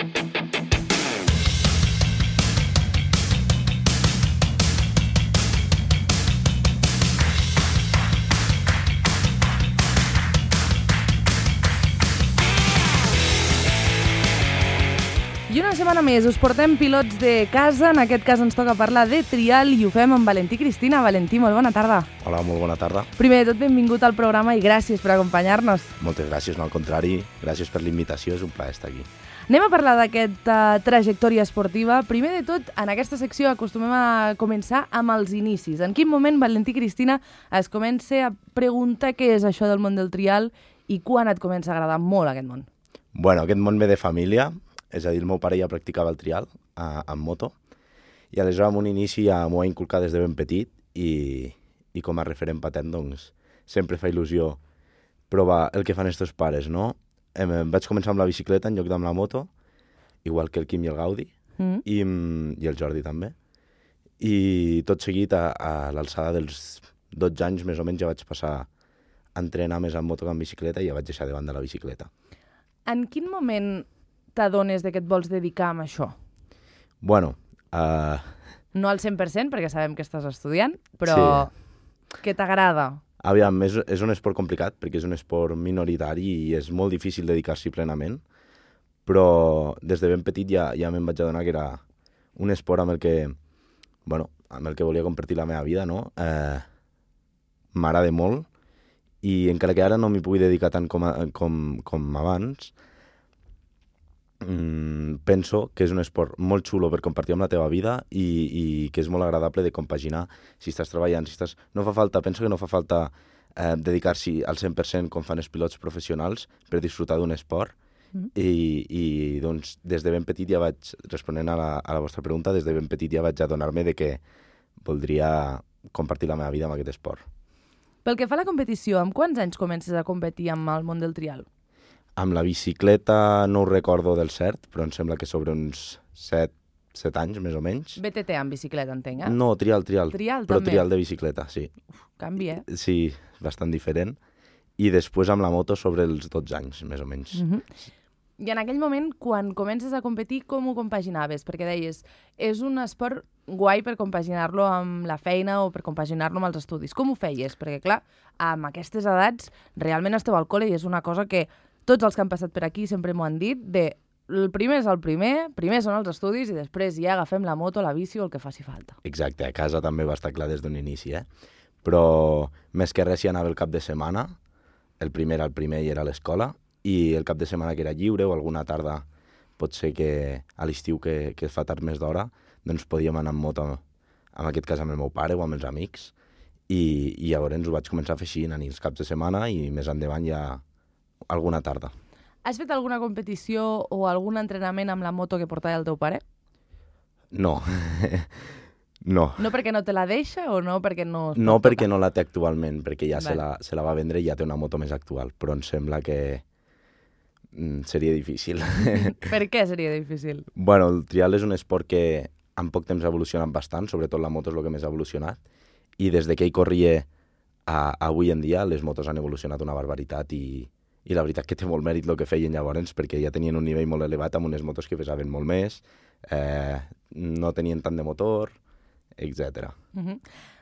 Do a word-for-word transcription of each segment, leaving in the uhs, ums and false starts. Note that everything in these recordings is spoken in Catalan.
I una setmana més us portem pilots de casa, en aquest cas ens toca parlar de trial i ho fem amb Valentí Cristina. Valentí, molt bona tarda. Hola, molt bona tarda. Primer de tot, benvingut al programa i gràcies per acompanyar-nos. Moltes gràcies, no al contrari, gràcies per l'invitació, és un plaer estar aquí. Anem a parlar d'aquesta trajectòria esportiva. Primer de tot, en aquesta secció acostumem a començar amb els inicis. En quin moment Valentí Cristina es comença a preguntar què és això del món del trial i quan et comença a agradar molt aquest món? Bueno, aquest món ve de família. És a dir, el meu pare ja practicava el trial a, amb moto i aleshores amb un inici ja m'ho va inculcar des de ben petit i, i com a referent patent doncs sempre fa il·lusió provar el que fan els teus pares, no? Em, vaig començar amb la bicicleta en lloc d'amb la moto, igual que el Quim i el Gaudi, mm. i, i el Jordi també. I tot seguit a, a l'alçada dels dotze anys més o menys ja vaig passar a entrenar més amb moto que amb bicicleta i ja vaig deixar de banda la bicicleta. En quin moment t'adones de que et vols dedicar a això? Bueno... Uh... No al cent per cent, perquè sabem que estàs estudiant, però sí. Que t'agrada? Aviam, és, és un esport complicat, perquè és un esport minoritari i és molt difícil dedicar-s'hi plenament, però des de ben petit ja, ja me'n vaig adonar que era un esport amb el que, bueno, amb el que volia compartir la meva vida, no? Eh, m'agrada molt, i encara que ara no m'hi pugui dedicar tant com, a, com, com abans, penso que és un esport molt xulo per compartir amb la teva vida i, i que és molt agradable de compaginar si estàs treballant, si estàs... No fa falta, penso que no fa falta eh, dedicar-s'hi al cent per cent com fan els pilots professionals per disfrutar d'un esport mm. i, i doncs des de ben petit ja vaig, responent a la, a la vostra pregunta, des de ben petit ja vaig adonar-me de que voldria compartir la meva vida amb aquest esport. Pel que fa a la competició, amb quants anys comences a competir amb el món del trial? Amb la bicicleta no ho recordo del cert, però em sembla que sobre uns set, set anys, més o menys. B T T amb bicicleta, entenc, eh? No, trial, trial. Trial, però també? Trial de bicicleta, sí. Uf, canvi, eh? Sí, bastant diferent. I després amb la moto sobre els dotze anys, més o menys. Uh-huh. I en aquell moment, quan comences a competir, com ho compaginaves? Perquè deies, és un esport guai per compaginar-lo amb la feina o per compaginar-lo amb els estudis. Com ho feies? Perquè, clar, amb aquestes edats, realment esteu al col·le i és una cosa que tots els que han passat per aquí sempre m'ho han dit, de el primer és el primer, primer són els estudis i després ja agafem la moto, la bici o el que faci falta. Exacte, a casa també va estar clar des d'un inici, eh? Però més que res hi anava el cap de setmana, el primer era el primer i era a l'escola, i el cap de setmana que era lliure o alguna tarda, pot ser que a l'estiu que, que fa tard més d'hora, doncs podíem anar amb moto, en aquest cas amb el meu pare o amb els amics, i, i llavors ho vaig començar a fer així, anar els caps de setmana i més endavant ja alguna tarda. Has fet alguna competició o algun entrenament amb la moto que portava el teu pare? No. no. No perquè no te la deixa o no perquè no... No perquè no la té actualment, perquè ja se la, se la va vendre i ja té una moto més actual, però em sembla que mm, seria difícil. Per què seria difícil? Bueno, el trial és un esport que en poc temps ha evolucionat bastant, sobretot la moto és el que més ha evolucionat, i des de que ell corria a, a avui en dia les motos han evolucionat una barbaritat i i la veritat que té molt mèrit el que feien llavors, perquè ja tenien un nivell molt elevat amb unes motos que pesaven molt més, eh, no tenien tant de motor, etcètera. Uh-huh.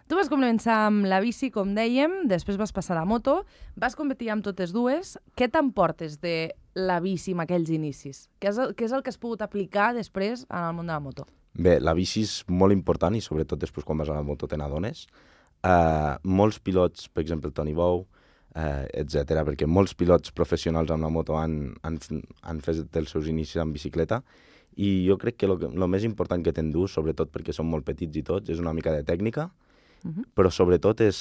Tu vas començar amb la bici, com dèiem, després vas passar a la moto, vas competir amb totes dues. Què t'emportes de la bici en aquells inicis? Què és el, què és el que has pogut aplicar després en el món de la moto? Bé, la bici és molt important i sobretot després quan vas a la moto te n'adones. Uh, molts pilots, per exemple el Toni Bou, Uh, etcètera, perquè molts pilots professionals amb la moto han, han, han fet els seus inicis amb bicicleta i jo crec que el més important que t'endús, sobretot perquè som molt petits i tots, és una mica de tècnica, uh-huh. però sobretot és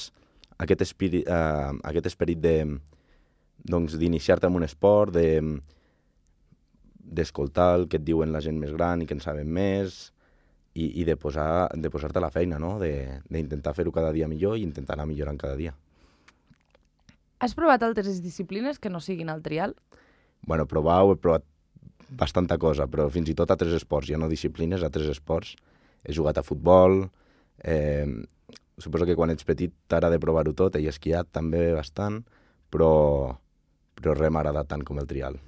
aquest, espiri, uh, aquest esperit de, doncs, d'iniciar-te en un esport, de, d'escoltar el que et diuen la gent més gran i que en saben més i, i de, posar, de posar-te a la feina, no? de, d'intentar fer-ho cada dia millor i intentar anar millorant cada dia. Has provat altres disciplines que no siguin el trial? Bueno, provar ho he provat bastanta cosa, però fins i tot altres esports, ja no disciplines, altres esports. He jugat a futbol, eh, suposo que quan ets petit t'agrada provar-ho tot, he esquiat també bastant, però, però res m'ha agradat tant com el trial.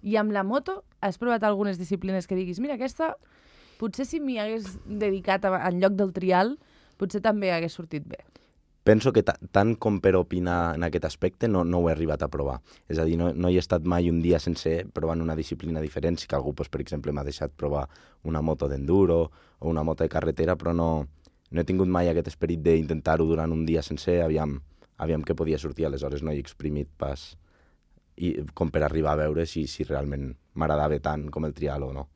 I amb la moto has provat algunes disciplines que diguis, mira, aquesta, potser si m'hi hagués dedicat a, en lloc del trial, potser també hagués sortit bé. Penso que tant com per opinar en aquest aspecte no, no ho he arribat a provar. És a dir, no, no hi he estat mai un dia sencer provant una disciplina diferent. Si que algú, doncs, per exemple, m'ha deixat provar una moto d'enduro o una moto de carretera, però no, no he tingut mai aquest esperit d'intentar-ho durant un dia sencer, aviam, aviam què podia sortir. Aleshores no he exprimit pas i, com per arribar a veure si, si realment m'agradava tant com el trial o no.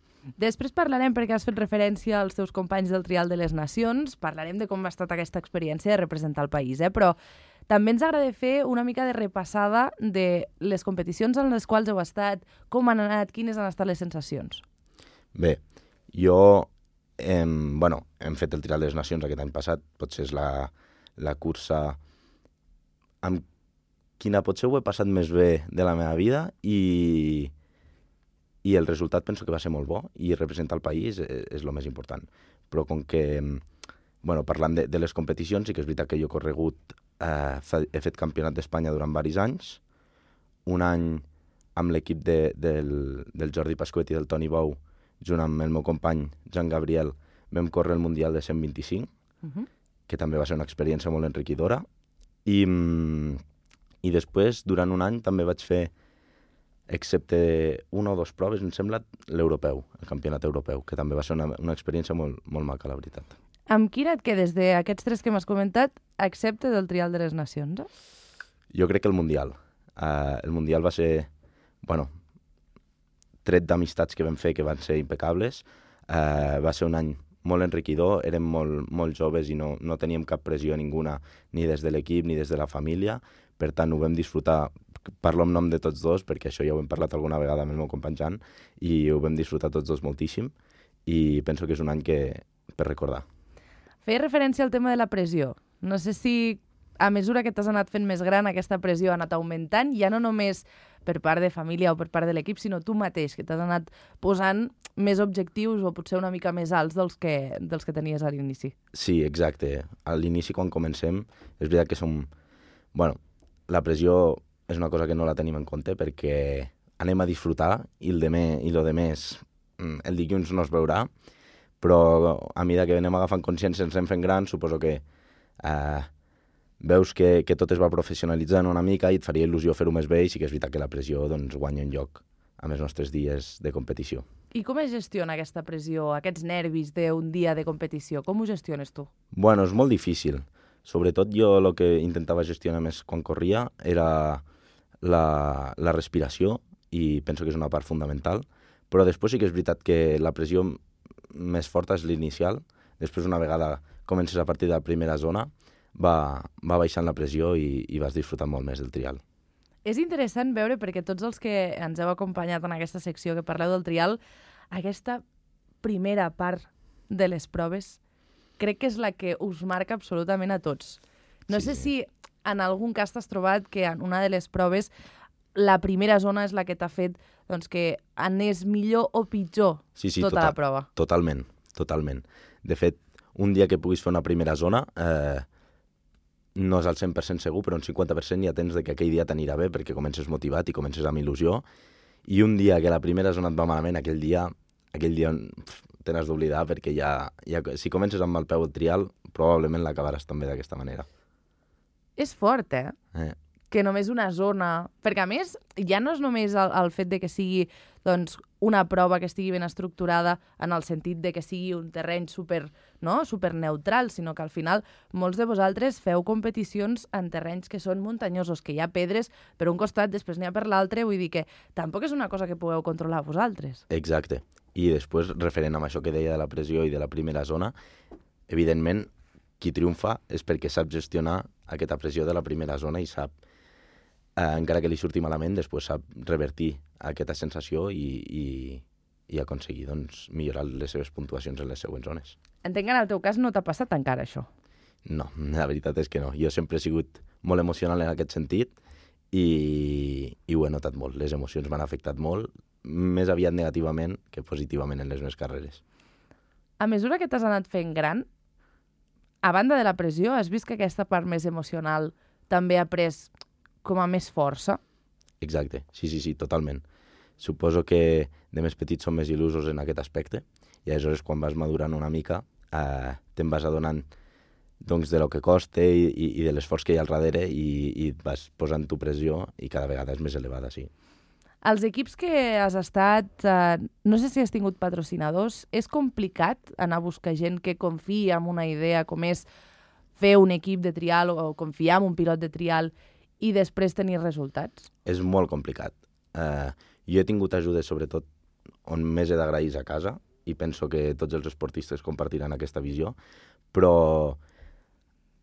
Després parlarem, perquè has fet referència als teus companys del Trial de les Nacions, parlarem de com ha estat aquesta experiència de representar el país, eh? Però també ens agrada fer una mica de repassada de les competicions en les quals heu estat, com han anat, quines han estat les sensacions. Bé, jo, eh, bueno, hem fet el Trial de les Nacions aquest any passat, potser és la, la cursa amb quina potser ho he passat més bé de la meva vida i... i el resultat penso que va ser molt bo i representar el país és, és el més important. Però com que, bueno, parlant de, de les competicions, sí que és veritat que jo he corregut, eh, he fet campionat d'Espanya durant diversos anys, un any amb l'equip de, del, del Jordi Pasquet i del Toni Bou, junt amb el meu company Jean Gabriel, vam córrer el Mundial de cent vint-i-cinc, uh-huh. que també va ser una experiència molt enriquidora. I, i després, durant un any, també vaig fer, excepte una o dues proves, em sembla, l'europeu, el campionat europeu, que també va ser una, una experiència molt, molt maca, la veritat. Amb quina et quedes d'aquests tres que m'has comentat, excepte del Trial de les Nacions? Eh? Jo crec que el Mundial. Uh, el Mundial va ser, bueno, tret d'amistats que vam fer que van ser impecables. Uh, va ser un any molt enriquidor, érem molt, molt joves i no, no teníem cap pressió ninguna, ni des de l'equip ni des de la família. Per tant, ho vam disfrutar. Parlo en nom de tots dos, perquè això ja ho hem parlat alguna vegada amb el meu company Jan, i ho vam disfrutar tots dos moltíssim, i penso que és un any que per recordar. Feia referència al tema de la pressió. No sé si a mesura que t'has anat fent més gran aquesta pressió ha anat augmentant, ja no només per part de família o per part de l'equip, sinó tu mateix, que t'has anat posant més objectius o potser una mica més alts dels que, dels que tenies a l'inici. Sí, exacte. A l'inici, quan comencem, és veritat que som... Bueno, la pressió és una cosa que no la tenim en compte perquè anem a disfrutar i el demé, i lo de més el dilluns no es veurà, però a mesura que anem agafant consciència ens anem fent grans, suposo que eh, veus que, que tot es va professionalitzant una mica i et faria il·lusió fer-ho més bé i sí que és veritat que la pressió doncs, guanya un lloc amb els nostres dies de competició. I com es gestiona aquesta pressió, aquests nervis d'un dia de competició? Com ho gestiones tu? Bueno, és molt difícil. Sobretot jo el que intentava gestionar més quan corria era la, la respiració i penso que és una part fundamental, però després sí que és veritat que la pressió més forta és l'inicial, després una vegada comences a partir de la primera zona va, va baixant la pressió i, i vas disfrutant molt més del trial. És interessant veure, perquè tots els que ens heu acompanyat en aquesta secció que parleu del trial, aquesta primera part de les proves crec que és la que us marca absolutament a tots. No sí, sé sí. si en algun cas t'has trobat que en una de les proves la primera zona és la que t'ha fet doncs, que anés millor o pitjor sí, sí, tota total, la prova. Totalment, totalment. De fet, un dia que puguis fer una primera zona eh, no és al cent per cent segur, però un cinquanta per cent ja tens de que aquell dia t'anirà bé perquè comences motivat i comences amb il·lusió. I un dia que la primera zona et va malament, aquell dia, aquell dia pf, te n'has d'oblidar perquè ja, ja, si comences amb el peu al trial, probablement l'acabaràs també d'aquesta manera. És fort, eh? Eh. Que només una zona... Perquè, a més, ja no és només el, el fet de que sigui doncs, una prova que estigui ben estructurada en el sentit de que sigui un terreny super, no? super neutral, sinó que al final molts de vosaltres feu competicions en terrenys que són muntanyosos, que hi ha pedres per un costat, després n'hi ha per l'altre, vull dir que tampoc és una cosa que pugueu controlar vosaltres. Exacte. I després, referent amb això que deia de la pressió i de la primera zona, evidentment, qui triomfa és perquè sap gestionar aquesta pressió de la primera zona i sap, eh, encara que li surti malament, després sap revertir aquesta sensació i, i, i aconseguir doncs, millorar les seves puntuacions en les següents zones. Entenc que en el teu cas no t'ha passat encara això. No, la veritat és que no. Jo sempre he sigut molt emocional en aquest sentit i, i ho he notat molt. Les emocions m'han afectat molt, més aviat negativament que positivament en les meves carreres. A mesura que t'has anat fent gran, a banda de la pressió, has vist que aquesta part més emocional també ha pres com a més força? Exacte, sí, sí, sí, totalment. suposo que de més petits són més il·lusos en aquest aspecte, i aleshores quan vas madurant una mica eh, te'n vas adonant doncs, de lo que costa i, i, i de l'esforç que hi ha al darrere i, i et vas posant tu pressió i cada vegada és més elevada, sí. Els equips que has estat, eh, no sé si has tingut patrocinadors, és complicat anar a buscar gent que confiï en una idea com és fer un equip de trial o confiar en un pilot de trial i després tenir resultats? És molt complicat. Eh, jo he tingut ajudes, sobretot, on més he d'agrair a casa, i penso que tots els esportistes compartiran aquesta visió, però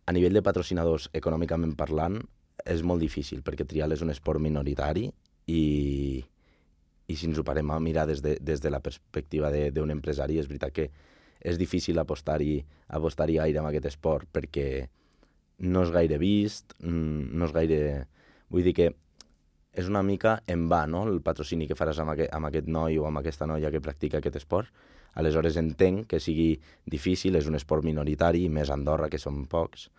a nivell de patrocinadors, econòmicament parlant, és molt difícil, perquè trial és un esport minoritari i, i si ens ho parem a mirar des de, des de la perspectiva d'un empresari, és veritat que és difícil apostar-hi apostar-hi gaire en aquest esport perquè no és gaire vist, no és gaire... Vull dir que és una mica en va, no?, el patrocini que faràs amb aquest, amb aquest noi o amb aquesta noia que practica aquest esport. Aleshores entenc que sigui difícil, és un esport minoritari, més a Andorra, que són pocs,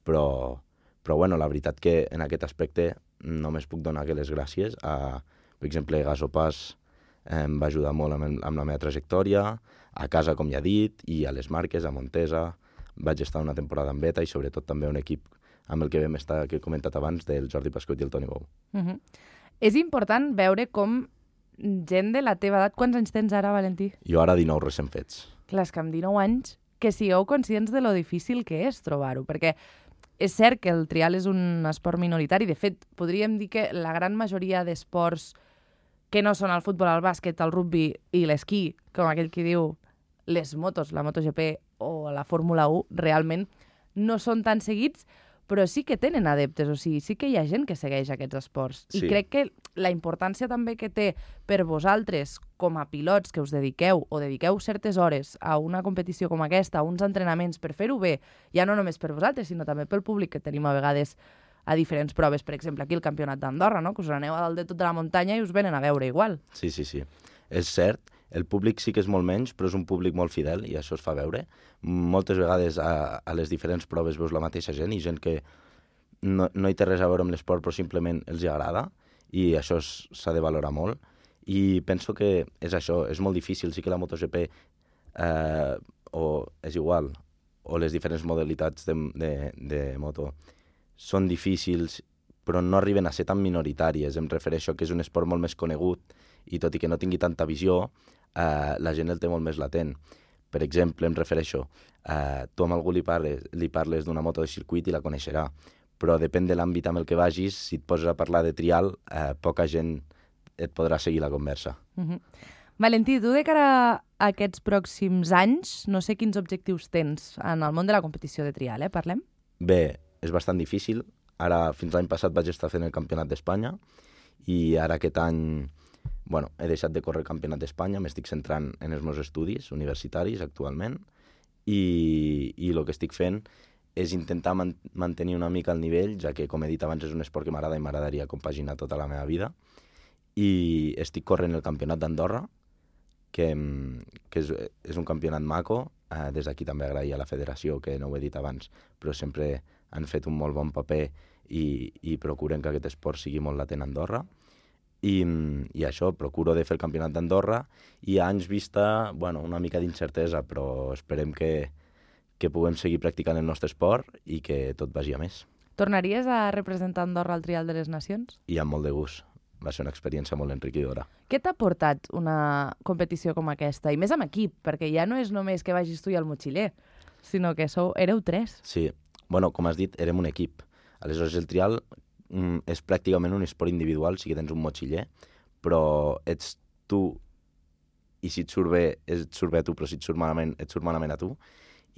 però, però bueno, la veritat que en aquest aspecte només puc donar que les gràcies a, per exemple, Gasopàs em va ajudar molt amb, amb la meva trajectòria, a casa, com ja he dit, i a les marques, a Montesa. Vaig estar una temporada en beta i sobretot també un equip amb el que vam estar, que he comentat abans, del Jordi Pascot i el Toni Bou. Uh-huh. És important veure com gent de la teva edat... Quants anys tens ara, Valentí? Jo ara dinou recent fets. Clar, és que amb dinou anys, que sigueu conscients de lo difícil que és trobar-ho, perquè és cert que el trial és un esport minoritari. De fet, podríem dir que la gran majoria d'esports que no són el futbol, el bàsquet, el rugby i l'esquí, com aquell que diu les motos, la MotoGP o la Fórmula u, realment no són tan seguits, però sí que tenen adeptes, o sigui, sí que hi ha gent que segueix aquests esports. Sí. I crec que la importància també que té per vosaltres, com a pilots que us dediqueu o dediqueu certes hores a una competició com aquesta, a uns entrenaments per fer-ho bé, ja no només per vosaltres, sinó també pel públic que tenim a vegades a diferents proves, per exemple, aquí el Campionat d'Andorra, no?, que us aneu a dalt de tota la muntanya i us venen a veure igual. Sí, sí, sí. És cert, el públic sí que és molt menys, però és un públic molt fidel i això es fa veure. Moltes vegades a, a les diferents proves veus la mateixa gent i gent que no, no hi té res a veure amb l'esport però simplement els hi agrada i això s'ha de valorar molt. I penso que és això, és molt difícil. Sí que la MotoGP eh, o és igual, o les diferents modalitats de, de, de moto són difícils, però no arriben a ser tan minoritàries. Em refereixo que és un esport molt més conegut i tot i que no tingui tanta visió, eh, la gent el té molt més latent. Per exemple, em refereixo, eh, tu amb algú li parles, li parles d'una moto de circuit i la coneixerà, però depèn de l'àmbit amb el que vagis, si et poses a parlar de trial, eh, poca gent et podrà seguir la conversa. Uh-huh. Valentí, tu de cara a aquests pròxims anys, no sé quins objectius tens en el món de la competició de trial, eh? Parlem? Bé, és bastant difícil. Ara, fins l'any passat vaig estar fent el Campionat d'Espanya i ara aquest any, bueno, he deixat de córrer el Campionat d'Espanya, m'estic centrant en els meus estudis universitaris actualment i, i el que estic fent és intentar man mantenir una mica el nivell, ja que, com he dit abans, és un esport que m'agrada i m'agradaria compaginar tota la meva vida. I estic corrent el Campionat d'Andorra, que, que és, és un campionat maco. Eh, des d'aquí també agrair a la federació, que no ho he dit abans, però sempre han fet un molt bon paper i, i procuren que aquest esport sigui molt latent a Andorra. I, i això, procuro de fer el Campionat d'Andorra i a anys vista, bueno, una mica d'incertesa, però esperem que, que puguem seguir practicant el nostre esport i que tot vagi a més. Tornaries a representar Andorra al Trial de les Nacions? I amb molt de gust. Va ser una experiència molt enriquidora. Què t'ha portat una competició com aquesta? I més amb equip, perquè ja no és només que vagis tu i el motxiller, sinó que sou, éreu tres. Sí. Bueno, com has dit, érem un equip. Aleshores, el trial mm, és pràcticament un esport individual, sí que tens un motxiller, però ets tu i si et surt bé, et surt bé a tu, però si et surt malament, et surt malament a tu.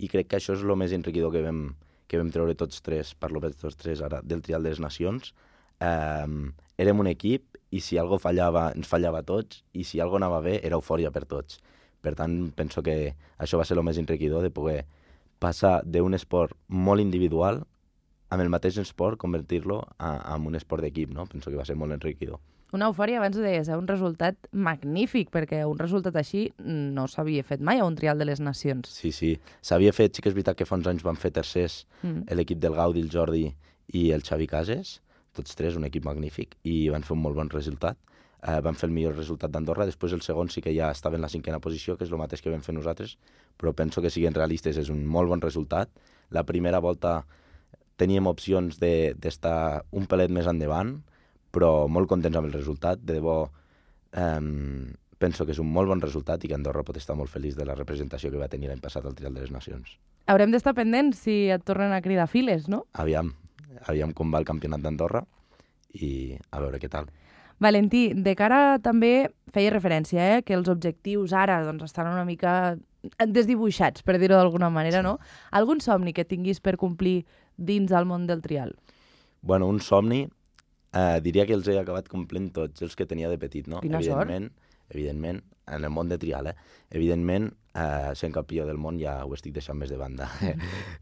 I crec que això és el més enriquidor que vam, que vam treure tots tres, parlo per tots tres ara, del trial de les nacions. Um, érem un equip i si algo fallava, ens fallava a tots i si algo anava bé, era eufòria per tots. Per tant, penso que això va ser el més enriquidor de poder passar d'un esport molt individual amb el mateix esport, convertir-lo en un esport d'equip, no? Penso que va ser molt enriquidor. Una eufòria, abans ho deies, eh? Un resultat magnífic, perquè un resultat així no s'havia fet mai a un trial de les nacions. Sí, sí. S'havia fet, sí que és veritat que fa uns anys van fer tercers mm. l'equip del Gaudi, el Jordi i el Xavi Cases, tots tres, un equip magnífic, i van fer un molt bon resultat. eh, van fer el millor resultat d'Andorra, després el segon sí que ja estava en la cinquena posició, que és el mateix que vam fer nosaltres, però penso que siguin realistes, és un molt bon resultat. La primera volta teníem opcions d'estar de, un pelet més endavant, però molt contents amb el resultat, de debò eh, penso que és un molt bon resultat i que Andorra pot estar molt feliç de la representació que va tenir l'any passat al Trial de les Nacions. Haurem d'estar pendents si et tornen a cridar files, no? Aviam, aviam com va el campionat d'Andorra i a veure què tal. Valentí, de cara també feia referència, eh, que els objectius ara doncs, estan una mica desdibuixats, per dir-ho d'alguna manera, sí. No? Algun somni que tinguis per complir dins el món del trial? Bueno, un somni, eh, diria que els he acabat complint tots els que tenia de petit, no? Quina evidentment, sort. Evidentment, en el món de trial, eh? Evidentment, eh, sent campió del món ja ho estic deixant més de banda.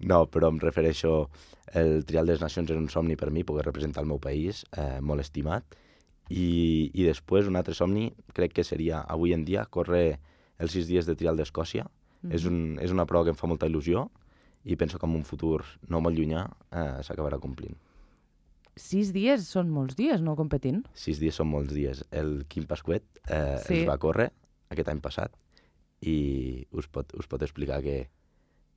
No, però em refereixo, el Trial de les Nacions és un somni per mi, poder representar el meu país, eh, molt estimat, i, i després un altre somni crec que seria avui en dia córrer els sis dies de trial d'Escòcia. Mm-hmm. És, un, és una prova que em fa molta il·lusió i penso que en un futur no molt llunyà eh, s'acabarà complint. Sis dies són molts dies, no, competint? Sis dies són molts dies. El Quim Pasquet eh, sí. els va córrer aquest any passat i us pot, us pot explicar que,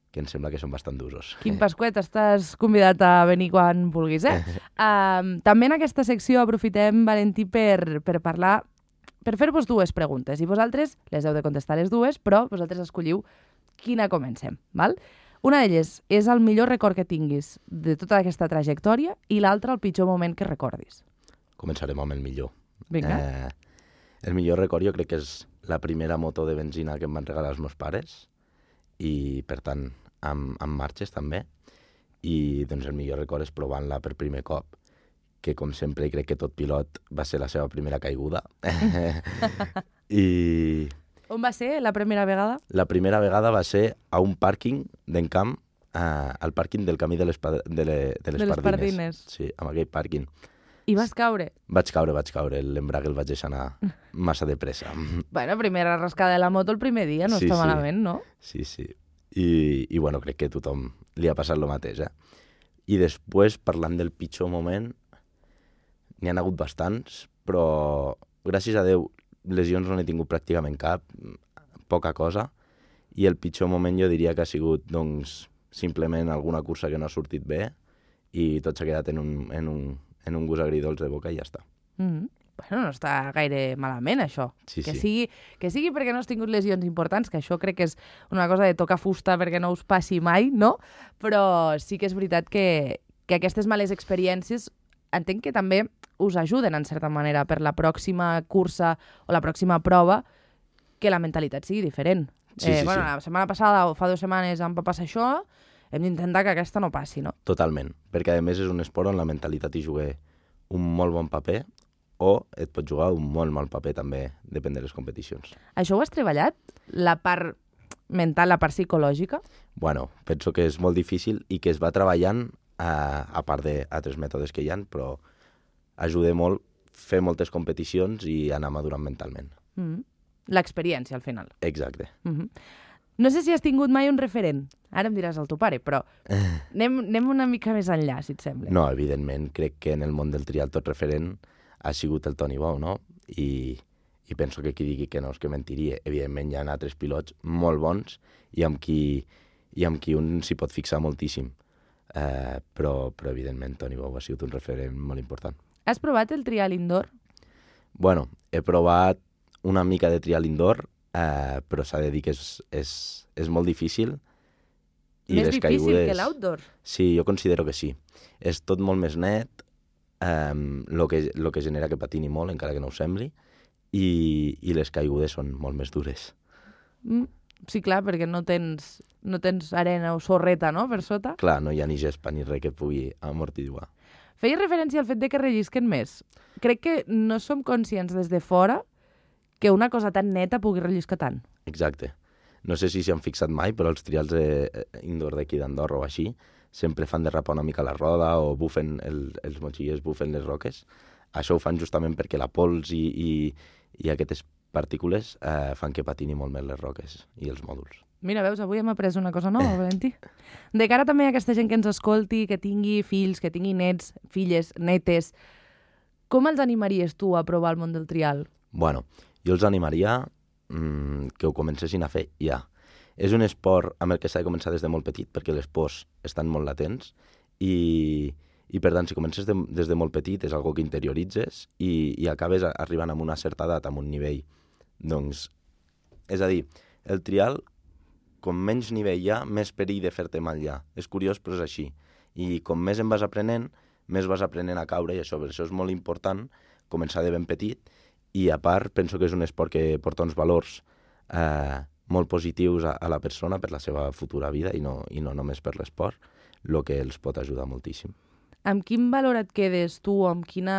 que em sembla que són bastant d'usos. Quim Pasquet, estàs convidat a venir quan vulguis, eh? uh, també en aquesta secció aprofitem, Valentí, per, per parlar, per fer-vos dues preguntes. I vosaltres les heu de contestar les dues, però vosaltres escolliu quina comencem, val? Una d'elles és el millor record que tinguis de tota aquesta trajectòria i l'altra el pitjor moment que recordis. Començarem amb el millor. Vinga. Eh, el millor record jo crec que és la primera moto de benzina que em van regalar els meus pares i, per tant, amb, amb marxes també. I doncs, el millor record és provant-la per primer cop, que com sempre crec que tot pilot va ser la seva primera caiguda. I... On va ser la primera vegada? La primera vegada va ser a un pàrquing d'encamp, eh, al pàrquing del camí de les, de, le, de les, de les Pardines. Pardines. Sí, amb aquell pàrquing. I vas caure? Vaig caure, vaig caure. L'embrague el vaig deixar anar massa de pressa. Bueno, primera rascada de la moto el primer dia, no sí, està sí. malament, no? Sí, sí. I, I bueno, crec que a tothom li ha passat el mateix, eh? I després, parlant del pitjor moment, n'hi ha hagut bastants, però gràcies a Déu lesions no n'he tingut pràcticament cap, poca cosa, i el pitjor moment jo diria que ha sigut, doncs, simplement alguna cursa que no ha sortit bé i tot s'ha quedat en un, en un, en un gust agridolç de boca i ja està. Mm-hmm. Bueno, no està gaire malament, això. Sí, que, sí. sigui, que sigui perquè no has tingut lesions importants, que això crec que és una cosa de tocar fusta perquè no us passi mai, no? Però sí que és veritat que, que aquestes males experiències entenc que també us ajuden, en certa manera, per la pròxima cursa o la pròxima prova, que la mentalitat sigui diferent. Sí, eh, sí, bueno, sí. La setmana passada o fa dues setmanes em va passar això, hem d'intentar que aquesta no passi, no? Totalment, perquè a més és un esport on la mentalitat hi juga un molt bon paper o et pot jugar un molt mal paper també, depèn de les competicions. Això ho has treballat? La part mental, la part psicològica? Bueno, penso que és molt difícil i que es va treballant a, a part d'altres mètodes que hi ha, però ajuda molt fer moltes competicions i anar madurant mentalment. Mm-hmm. L'experiència, al final. Exacte. Mm-hmm. No sé si has tingut mai un referent. Ara em diràs el teu pare, però anem, anem una mica més enllà, si et sembla. No, evidentment, crec que en el món del trial tot referent ha sigut el Toni Bou, no? I, i penso que qui digui que no és que mentiria. Evidentment hi ha altres pilots molt bons i amb qui, i amb qui un s'hi pot fixar moltíssim. Uh, però, però evidentment Toni Bou ha sigut un referent molt important. Has provat el trial indoor? Bueno, he provat una mica de trial indoor, eh, però s'ha de dir que és, és, és molt difícil. I Més les difícil caigudes... que l'outdoor? Sí, jo considero que sí. És tot molt més net, eh, lo que, lo que genera que patini molt, encara que no ho sembli, i, i les caigudes són molt més dures. Mm, sí, clar, perquè no tens, no tens arena o sorreta, no?, per sota. Clar, no hi ha ni gespa ni res que pugui amortiguar. Feia referència al fet de que rellisquen més. Crec que no som conscients des de fora que una cosa tan neta pugui relliscar tant. Exacte. No sé si s'hi han fixat mai, però els trials de, indoor d'aquí d'Andorra o així sempre fan derrapar una mica la roda o bufen el, els motxillers bufen les roques. Això ho fan justament perquè la pols i, i, i aquestes partícules eh, fan que patini molt més les roques i els mòduls. Mira, veus, avui hem après una cosa nova, Valentí. De cara també a aquesta gent que ens escolti, que tingui fills, que tingui nets, filles, netes, Com els animaries tu a provar el món del trial? Bueno, jo els animaria mmm, que ho comencessin a fer ja. És un esport amb el que s'ha de començar des de molt petit, perquè les pors estan molt latents, i, i per tant, si comences de, des de molt petit, és algo que interioritzes i, i acabes arribant a una certa edat, amb un nivell. Doncs, és a dir, el trial, com menys nivell hi ha, més perill de fer-te mal hi ha. És curiós, però és així. I com més en vas aprenent, més vas aprenent a caure, i això, per això és molt important començar de ben petit, i a part penso que és un esport que porta uns valors eh, molt positius a, a la persona per la seva futura vida, i no, i no només per l'esport, el que els pot ajudar moltíssim. Amb quin valor et quedes tu, amb, quina,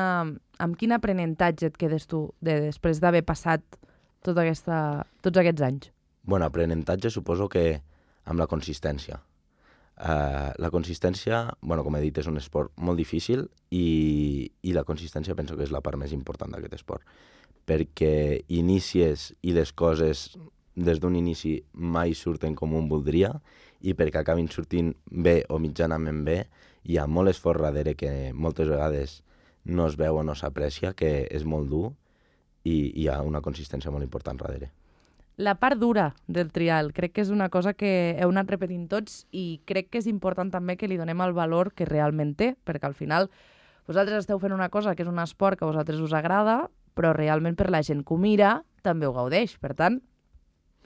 amb quin aprenentatge et quedes tu de, després d'haver passat tota aquesta, tots aquests anys? Bueno, aprenentatge suposo que amb la consistència. Uh, la consistència, bueno, com he dit, és un esport molt difícil, i, i la consistència penso que és la part més important d'aquest esport, perquè inicies i les coses des d'un inici mai surten com un voldria, i perquè acabin sortint bé o mitjanament bé, hi ha molt esforç darrere que moltes vegades no es veu o no s'aprecia, que és molt dur, i hi ha una consistència molt important darrere. La part dura del trial, crec que és una cosa que heu anat repetint tots, i crec que és important també que li donem el valor que realment té, perquè al final vosaltres esteu fent una cosa que és un esport que a vosaltres us agrada, però realment per la gent que ho mira també ho gaudeix. Per tant,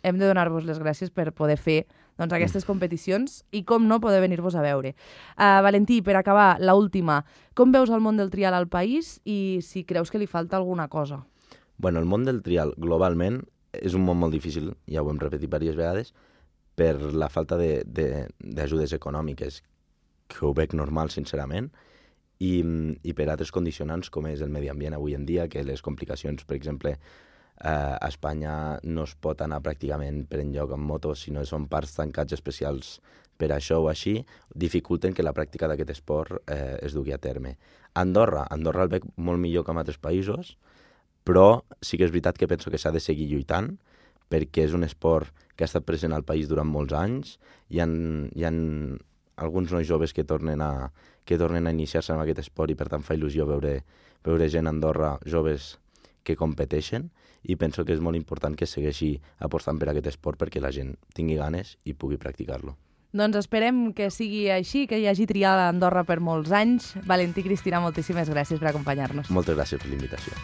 hem de donar-vos les gràcies per poder fer doncs, aquestes competicions i, com no, poder venir-vos a veure. Uh, Valentí, per acabar, l'última. Com veus el món del trial al país i si creus que li falta alguna cosa? Bueno, el món del trial globalment és un món molt difícil, ja ho hem repetit diverses vegades, per la falta d'ajudes econòmiques, que ho veig normal, sincerament, i, i per altres condicionants com és el medi ambient avui en dia, que les complicacions, per exemple, eh, a Espanya no es pot anar pràcticament per enlloc amb moto, sinó que són parcs tancats especials per això o així, dificulten que la pràctica d'aquest esport eh, es dugui a terme. Andorra, Andorra el veig molt millor que en altres països, però sí que és veritat que penso que s'ha de seguir lluitant, perquè és un esport que ha estat present al país durant molts anys. Hi ha, hi ha alguns nois joves que tornen a, que tornen a iniciar-se en aquest esport, i per tant fa il·lusió veure, veure gent a Andorra, joves que competeixen, i penso que és molt important que segueixi apostant per aquest esport perquè la gent tingui ganes i pugui practicar-lo. Doncs esperem que sigui així, que hi hagi trial a Andorra per molts anys. Valentí, Cristina, moltíssimes gràcies per acompanyar-nos. Moltes gràcies per l'invitació.